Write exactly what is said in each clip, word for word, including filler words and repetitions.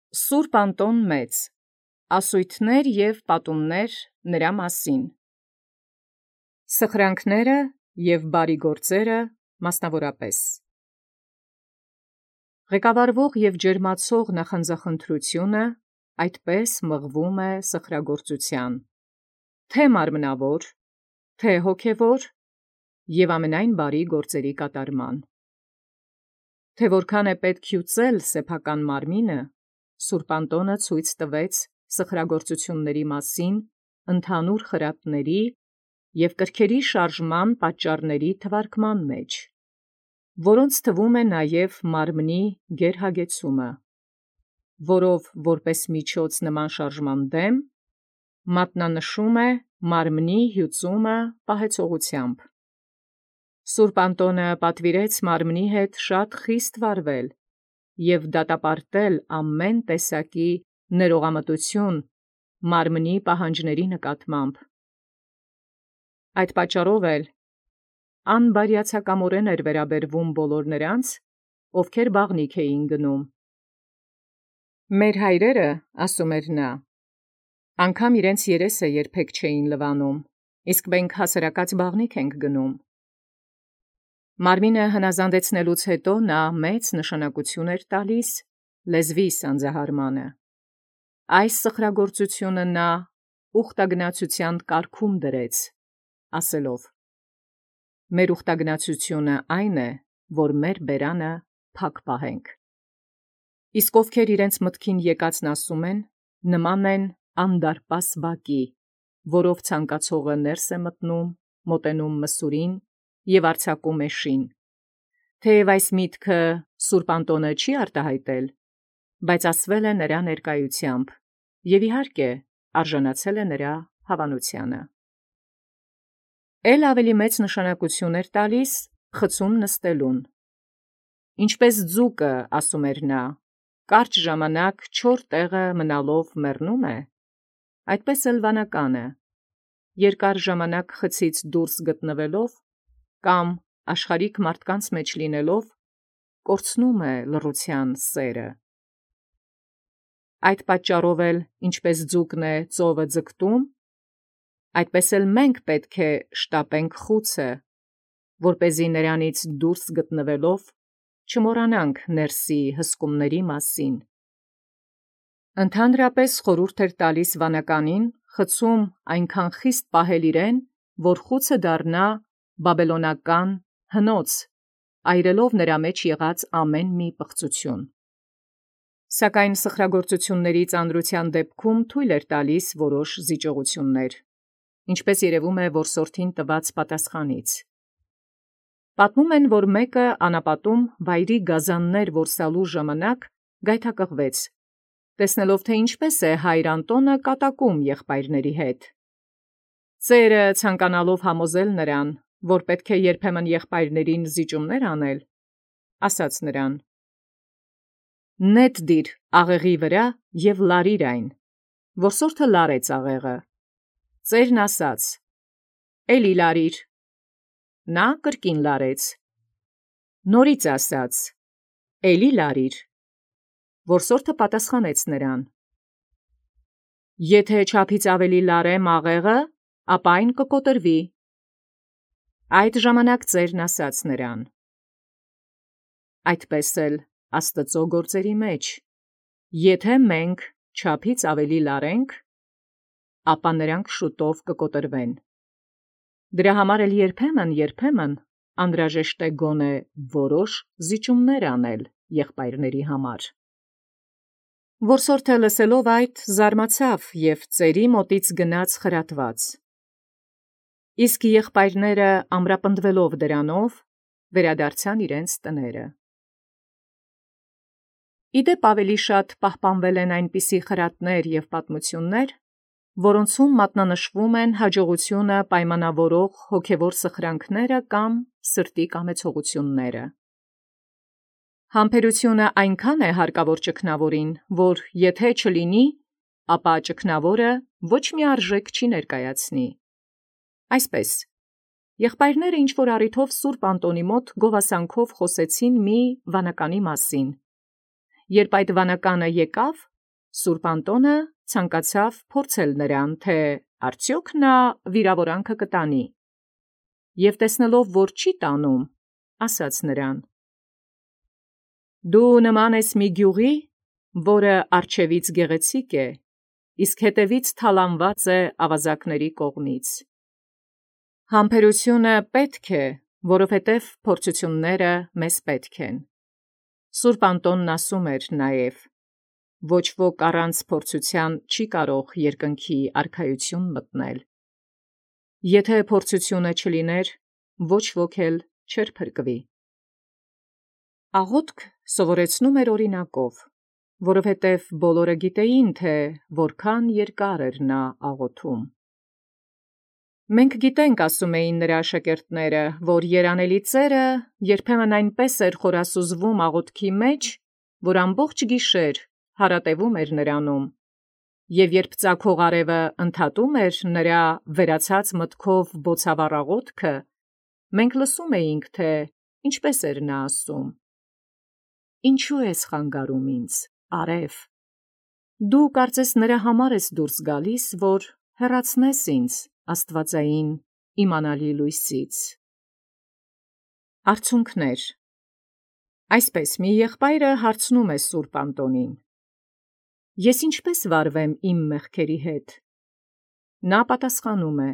Սուրբ Անտոն Մեծ, ասույթներ և պատումներ նրա մասին։ Սխրանքները և բարիգործերը մասնավորապես։ Ղեկավարվող և ջերմացող նախանձախնդրությունը այդպես մղվում է սխրագործութեան, թե մարմնավոր, թե հոգևոր և ամենայն բարի գործերի կատարման։ Թե որքան է պետք հյուծել սեփական մարմինը, Սուրբ Անտոնը ցույց տվեց սխրագործությունների մասին ընդհանուր խրատների և կրքերի շարժման պատճառների թվարկման մեջ, որոնց թվում է նաև մարմնի գերհագեցումը, որով որպես միջոց նման շարժման դեմ մատնանշում է մարմնի հյուծումը պահեցողությամբ։ Սուրբ Անտոնը պատվիրեց մարմնի հետ շատ խիստ վարվել և դատապարտել ամեն տեսակի ներողամտություն մարմնի պահանջների նկատմամբ։ Այդ պատճառով էլ անբարյացակամորեն էր վերաբերվում բոլոր նրանց, ովքեր բաղնիք էին գնում։ «Մեր հայրերը, ասում էր նա, անգամ իրենց երեսը երբեք չէին լվանում, իսկ մենք հասարակած բաղնիք ենք գնում»։ Մարմինը հնազանդեցնելուց հետո նա մեծ նշանակություն էր տալիս լեզվի սանձահարմանը։ Այս սխրագործությունը նա ուխտագնացութեան կարգում դրեց, ասելով. «Մեր ուխտագնացությունը այն է, որ մեր բերանը փակ պահենք»։ Իսկ ովքեր իրենց մտքին եկածն ասում են, նման են անդարպաս բակի, որով ցանկացողը ներս է մտնում, մոտենում մսուրին և արձակում էշին։ Թեև այս միտքը Սուրբ Անտոնը չի արտահայտել, բայց ասվել է նրա ներկայությամբ և իհարկե արժանացել է նրա հավանութեանը։ Էլ ավելի մեծ նշանակություն էր տալիս խցում նստելուն։ «Ինչպես ձուկը, ասում էր նա, կարճ ժամանակ չոր տեղը մնալով մեռնում է, այդպես էլ վանականը երկար ժամանակ խցից դուրս գտնվելով կամ աշխարհիկ մարդկանց մեջ լինելով կորցնում է լռութեան սերը։ Այդ պատճառով էլ ինչպես ձուկն է ծովը ձգտում, այդպես էլ մենք պետք է շտապենք խուցը, որպեսզի նրանից դուրս գտնվելով չմոռանանք ներսի հսկումների մասին։ Ընդհանրապես խորհուրդ էր տալիս վանականին խցում այնքան խիստ պահել իրեն, որ խուցը դառնա բաբելոնական հնոց, այրելով նրա մեջ եղած ամեն մի պղծություն։ Սակայն սխրագործությունների ծանրութեան դեպքում թույլ էր տալիս որոշ զիջողություններ, ինչպես երևում է որսորդին տված պատասխանից։ Պատմում են, որ մեկը անապատում վայրի գազաններ որսալու ժամանակ գայթակղվեց, տեսնելով թե ինչպես է հայր Անտոնը կատակում եղբայրների հետ։ Ծերը ցանկանալով համոզել նրան, որ պետք է երբեմն եղբայրներին զիջումներ անել, ասաց նրան. «Նետ դիր աղեղի վրա և լարիր այն»։ Որսորդը լարեց աղեղը։ Ծերն ասաց. «Էլի լարիր»։ Նա կրկին լարեց։ Նորից ասաց. «Էլի լարիր»։ Որսորդը պատասխանեց նրան. «Եթե չափից ավելի լարեմ աղեղը, ապա այն կկոտրվի»։ Այդ ժամանակ ծերն ասաց նրան. «Այդպես էլ Աստուծոյ գործերի մեջ, եթե մենք չափից ավելի լարենք, ապա նրանք շուտով կկոտրվեն։ Դրա համար էլ երբեմն երբեմն անհրաժեշտ է գոնե որոշ զիջումներ անել եղբայրների համար»։ Որսորդը լսելով այդ զարմացավ և ծերի մոտից գնաց խրատված։ Իսկ եղբայրները ամրապնդվելով դրանով վերադարձան իրենց տները։ Ի դեպ ավելի շատ պահպանվել են այնպիսի խրատներ և պատմություններ, որոնցում մատնանշվում են հաջողությունը պայմանավորող հոգևոր սխրանքները կամ սրտի կամեցողությունները։ Համբերությունը այնքան է հարկավոր ճգնավորին, որ եթե չլինի, ապա ճգնավորը ոչ մի արժեք չի ներկայացնի։ Այսպես, եղբայրները ինչ-որ առիթով Սուրբ Անտոնի մոտ գովասանքով խոսեցին մի վանականի մասին։ Երբ այդ վանականը եկավ, Սուրբ Անտոնը ցանկացավ փորձել նրան, թէ արդյոք նա վիրավորանքը կտանի, եւ տեսնելով, որ չի տանում, ասաց նրան. «Դու նման ես մի գյուղի, որը առջևից գեղեցիկ է, իսկ հետևից թալանված է ավազակների կողմից»։ Համբերությունը պետք է, որովհետև փորձությունները մեզ պետք են։ Սուրբ Անտոնն ասում էր նաև. ոչ ոք առանց փորձության չի կարող երկնքի արքայություն մտնել։ Եթե փորձությունը չլիներ, ոչ ոք էլ չէր փրկվի։ Աղոթք սովորեցնում էր օրինակով, որովհետև բոլորը գիտեին, թե որքան երկար էր նա աղոթում։ Մենք գիտենք, ասում էին նրա աշակերտները, որ երանելի ծերը երբեմն այնպես էր խորասուզվում աղոթքի մեջ, որ ամբողջ գիշեր հարատևում էր նրանում, և երբ ծագող արևը ընդհատում էր նրա վերացած մտքով բոցավառ աղոթքը, մենք լսում էինք, թե ինչպես էր նա ասում. «Ինչու ես խանգարում ինձ, արև, դու կարծես նրա համար ես դուրս գալիս, որ հեռացնես ինձ աստվածային իմանալի լույսից»։ Արցունքներ։ Այսպես մի եղբայրը հարցնում է Սուրբ Անտոնին. «Ես ինչպե՞ս վարվեմ իմ մեղքերի հետ»։ Նա պատասխանում է.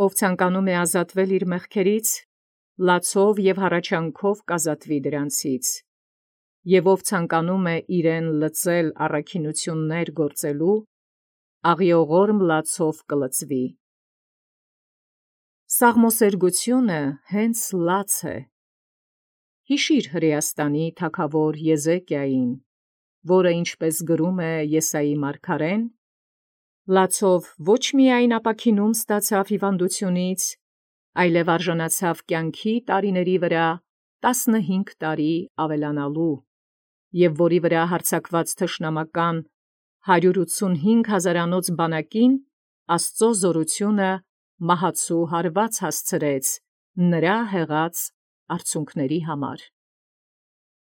«Ով ցանկանում է ազատվել իր մեղքերից, լացով և հառաչանքով կազատվի դրանցից, և ով ցանկանում է իրեն լցել առաքինություններ գործելու, աղիողորմ լացով կլցվի»։ Սաղմոսերգությունը հենց լաց է։ Հիշիր Հրեաստանի թագավոր Եզեկիային, որը, ինչպես գրում է Եսայի մարգարեն, լացով ոչ միայն ապաքինում ստացավ հիվանդությունից, այլև արժանացավ կյանքի տարիների վրա տասնհինգ տարի ավելանալու, և որի վրա հարձակված թշնամական հարյուր ութսունհինգ հազարանոց բանակին Աստծո զորությունը մահացու հարված հասցրեց նրա հեղած արցունքների համար։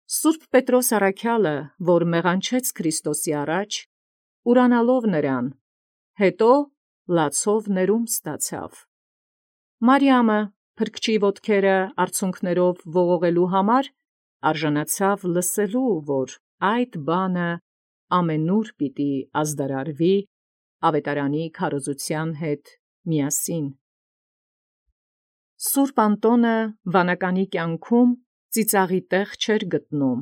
Սուրբ Պետրոս առաքյալը, որ մեղանչեց Քրիստոսի առաջ, ուրանալով նրան, հետո լացով ներում ստացավ։ Մարիամը, փրկչի ոտքերը արցունքներով ողողելու համար, արժանացավ լսելու, որ այդ բանը ամենուր պիտի ազդարարվի ավետարանի քարոզության հետ միասին։ Սուրբ Անտոնը վանականի կյանքում ծիծաղի տեղ չէր գտնում,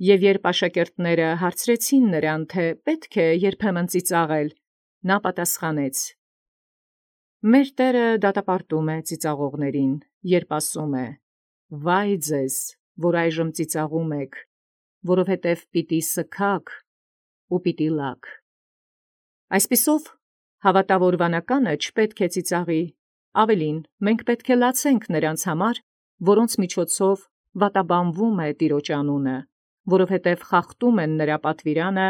և երբ աշակերտները հարցրեցին նրան, թե պետք է երբեմն ծիծաղել, նա պատասխանեց. «Մեր Տերը դատապարտում է ծիծաղողներին, երբ ասում է. «Վայ ձեզ, որ այժմ ծիծաղում եք, որովհետև պիտի սգաք ու պիտի լաք»։ Այսպիսով, հավատավոր վանականը չպետք է ծիծաղի, ավելին, մենք պետք է լացենք նրանց համար, որոնց միջոցով վատաբանվում է Տիրոջ անունը, որովհետև խախտում են նրա պատվիրանը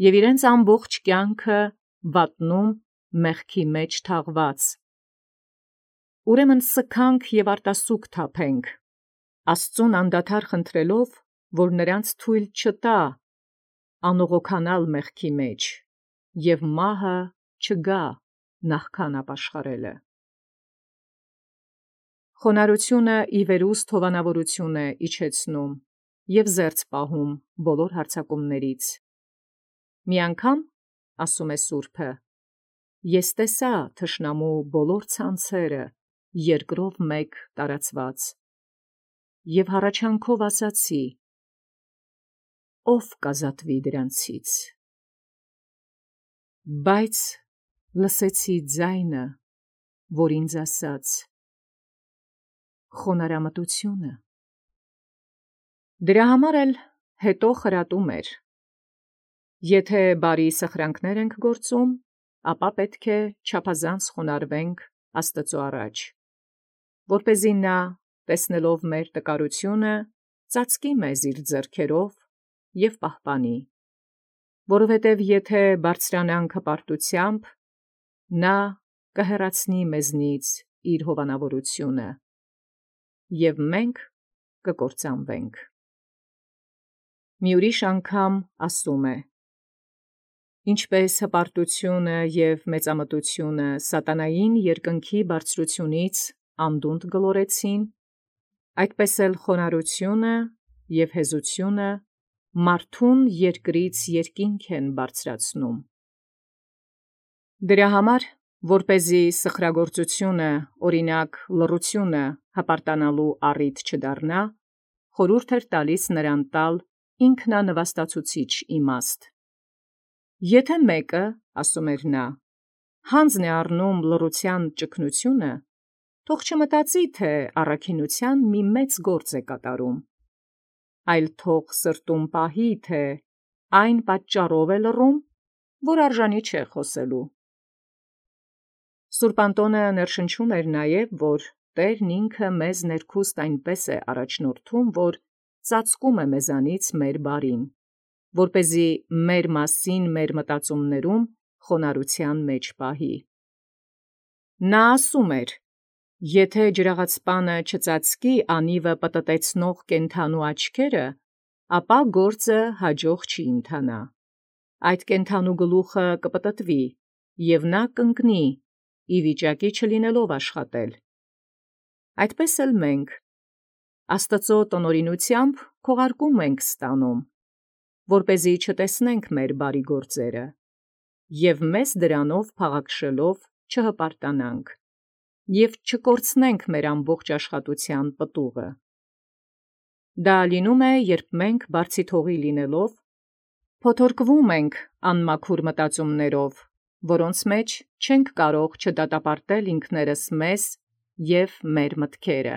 և իրենց ամբողջ կյանքը վատնում մեղքի մեջ թաղված։ Ուրեմն սգանք և արտասուք թափենք, Աստծուն անդադար խնդրելով, որ նրանց թույլ չտա անողոքանալ մեղքի մեջ, և մահը չգա նախքան ապաշխարելը։ Խոնարհությունը ի վերուստ հովանավորություն է իջեցնում և զերծ պահում բոլոր հարձակումներից։ Մի անգամ, ասում է սուրբը, ես տեսա թշնամու բոլոր ցանցերը երկրով մեկ տարածված, և հառաչանքով ասացի. «Ո՞վ կազատվի դրանցից»։ Բայց լսեցի ձայնը, որ ինձ ասաց. «Խոնարհամտությունը»։ Դրա համար էլ հետո խրատում էր. եթե բարի սխրանքներ ենք գործում, ապա պետք է չափազանց խոնարհվենք Աստծո առաջ, որպեսզի նա, տեսնելով մեր տկարությունը, ծածկի մեզ իր ձեռքերով և պահպանի, որովհետև եթե բարձրանանք հպարտությամբ, նա կհեռացնի մեզնից իր հովանավորությունը, և մենք կկործանվենք։ Մի ուրիշ անգամ ասում է. Ինչպես հպարտությունը և մեծամտությունը սատանային երկնքի բարձրութիւնից անդունդ գլորեցին, այդպէս էլ խոնարհությունը և հեզությունը մարդուն երկրից երկինք են բարձրացնում։ Դրա համար, որպեսզի սխրագործությունը, օրինակ լռությունը, հպարտանալու առիթ չդառնա, խորհուրդ էր տալիս նրան տալ ինքնանվաստացուցիչ իմաստ։ Եթէ մեկը, ասում էր նա, յանձն է առնում լռութեան ճգնութիւնը, թող չմտածի, թէ առաքինութեան մի մեծ գործ է կատարում, այլ թող սրտում պահի, թէ այն պատճառով է լռում, որ արժանի չէ խոսելու։ Սուրբ Անտոնը ներշնչում էր նաև, որ Տէրն ինքը մեզ ներքուստ այնպէս է առաջնորդում, որ ծածկում է մեզանից մեր բարին, որպեսզի մեր մասին մեր մտածումներում խոնարհութեան մեջ պահի։ Նա ասում էր. «Եթէ ջրաղացպանը չծածկի անիվը պտտեցնող կենդանու աչքերը, ապա գործը յաջող չի ընթանա. այդ կենդանու գլուխը կպտտվի, և նա կընկնի, ի վիճակի չլինելով աշխատել»։ Այդպէս էլ մենք Աստուծոյ տնօրինութեամբ քողարկում ենք ստանում, որպեսզի չտեսնենք մեր բարի գործերը, և մեզ դրանով փաղաքշելով չհպարտանանք, և չկորցնենք մեր ամբողջ աշխատութեան պտուղը։ Դա լինում է, երբ մենք բարձիթողի լինելով, փոթորկվում ենք անմաքուր մտածումներով, որոնց մեջ չենք կարող չդատապարտել ինքներս մեզ և մեր մտքերը։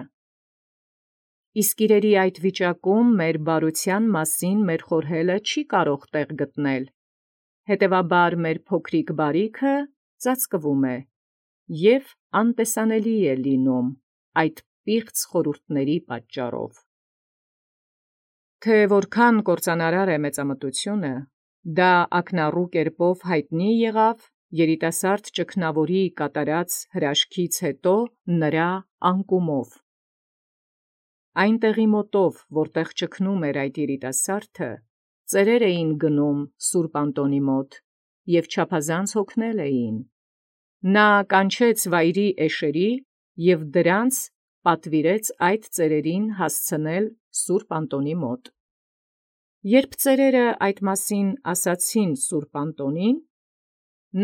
Իսկ իրերի այդ վիճակում մեր բարութեան մասին մեր խորհելը չի կարող տեղ գտնել, հետևաբար մեր փոքրիկ բարիքը ծածկվում է և անտեսանելի է լինում այդ պիղծ խորհուրդների պատճառով։ Թէ որքան կործանարար է մեծամտությունը, դա ակնառու կերպով յայտնի եղավ երիտասարդ ճգնաւորի կատարած հրաշքից յետո նրա անկումով։ Այն տեղի մոտով, որտեղ ճգնում էր այդ երիտասարդը, ծերեր էին գնում սուրբ Անտոնի մոտ և չափազանց հոգնել էին։ Նա կանչեց վայրի էշերի և դրանց պատուիրեց այդ ծերերին հասցնել սուրբ Անտոնի մոտ։ Երբ ծերերը այդ մասին ասացին սուրբ Անտոնին,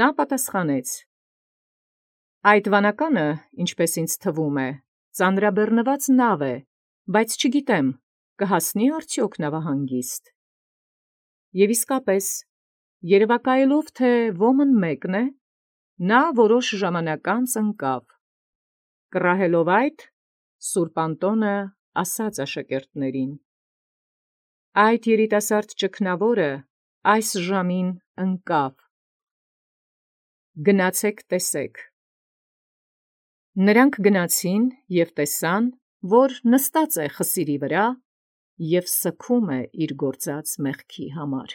նա պատասխանեց. «Այդ վանականը, ինչպէս ինձ թվում է, ծանրաբեռնուած նավ է, բայց չգիտեմ կհասնի՞ արդեոք նավահանգիստ»։ Եւ իսկապես, երևակայելով թէ ոմն մեկն է, նա որոշ ժամանակ անց ընկավ։ Կռահելով այդ, սուրբ Անտոնը ասաց աշակերտներին. «Այդ երիտասարդ ճգնաւորը այս ժամուն ընկավ. գնացէք տեսէք»։ Նրանք գնացին և տեսան, որ նստած է խսիրի վրա և սգում է իր գործած մեղքի համար։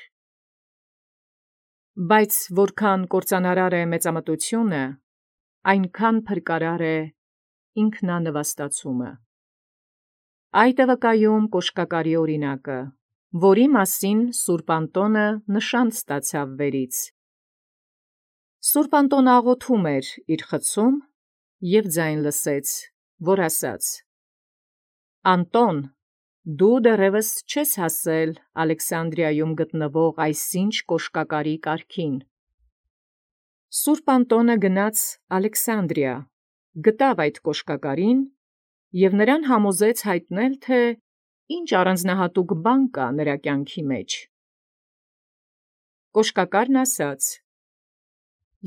Բայց որքան կործանարար է մեծամտությունը, այնքան փրկարար է ինքնանվաստացումը։ Այդ է վկայում կոշկակարի օրինակը, որի մասին սուրբ Անտոնը նշան ստացավ վերից։ Սուրբ Անտոնը աղոթում էր իր խցում և ձայն լսեց, որ ասաց. «Անտոն, դու դեռևս չես հասել Ալեքսանդրիայում գտնվող այսինչ կոշկակարի կարգին»։ Սուրբ Անտոնը գնաց Ալեքսանդրիա, գտավ այդ կոշկակարին և նրան համոզեց յայտնել, թէ ի՛նչ առանձնահատուկ բան կա նրա կյանքի մեջ։ Կոշկակարն ասաց.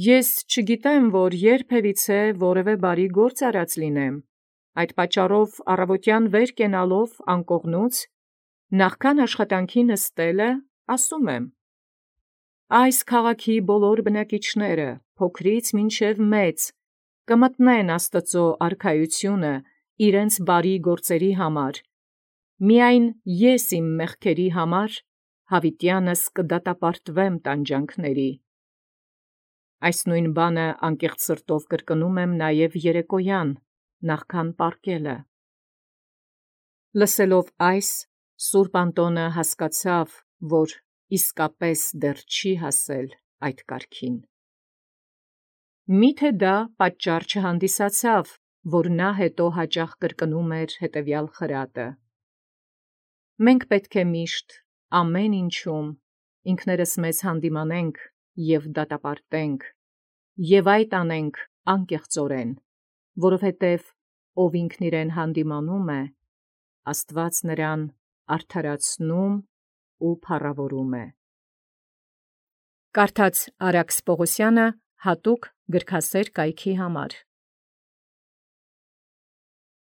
«Ես չգիտեմ, որ յերբևիցե որևէ բարի գործ արած լինեմ, այդ պատճառով առավոտյան վեր կենալով անկողնուց, նախքան աշխատանքի նստելը, ասում եմ. այս քաղաքի բոլոր բնակիչները, փոքրից մինչև մեծ, կմտնեն Աստուծոյ արքայությունը իրենց բարի գործերի համար, միայն ես իմ մեղքերի համար յաւիտյանս կդատապարտվեմ տանջանքների։ Այս նոյն բանը անկեղծ սրտով կրկնում եմ նաև երեկոյան, նախքան պառկելը։ Լսելով այս, սուրբ Անտոնը հասկացավ, որ իսկապես դեռ չի հասել այդ կարգին։ Միթե դա պատճառ չհանդիսացավ, որ նա հետո հաճախ կրկնում էր հետևյալ խրատը. «Մենք պետք է միշտ ամեն ինչում ինքներս մեզ հանդիմանենք և դատապարտենք, և այդ անենք անկեղծորեն, որովհետև ով ինքն իրեն հանդիմանում է, Աստուած նրան արդարացնում ու փառաւորում է»։ Կարդաց Արաքս Պողոսյանը հատուկ գրքասեր կայքի համար։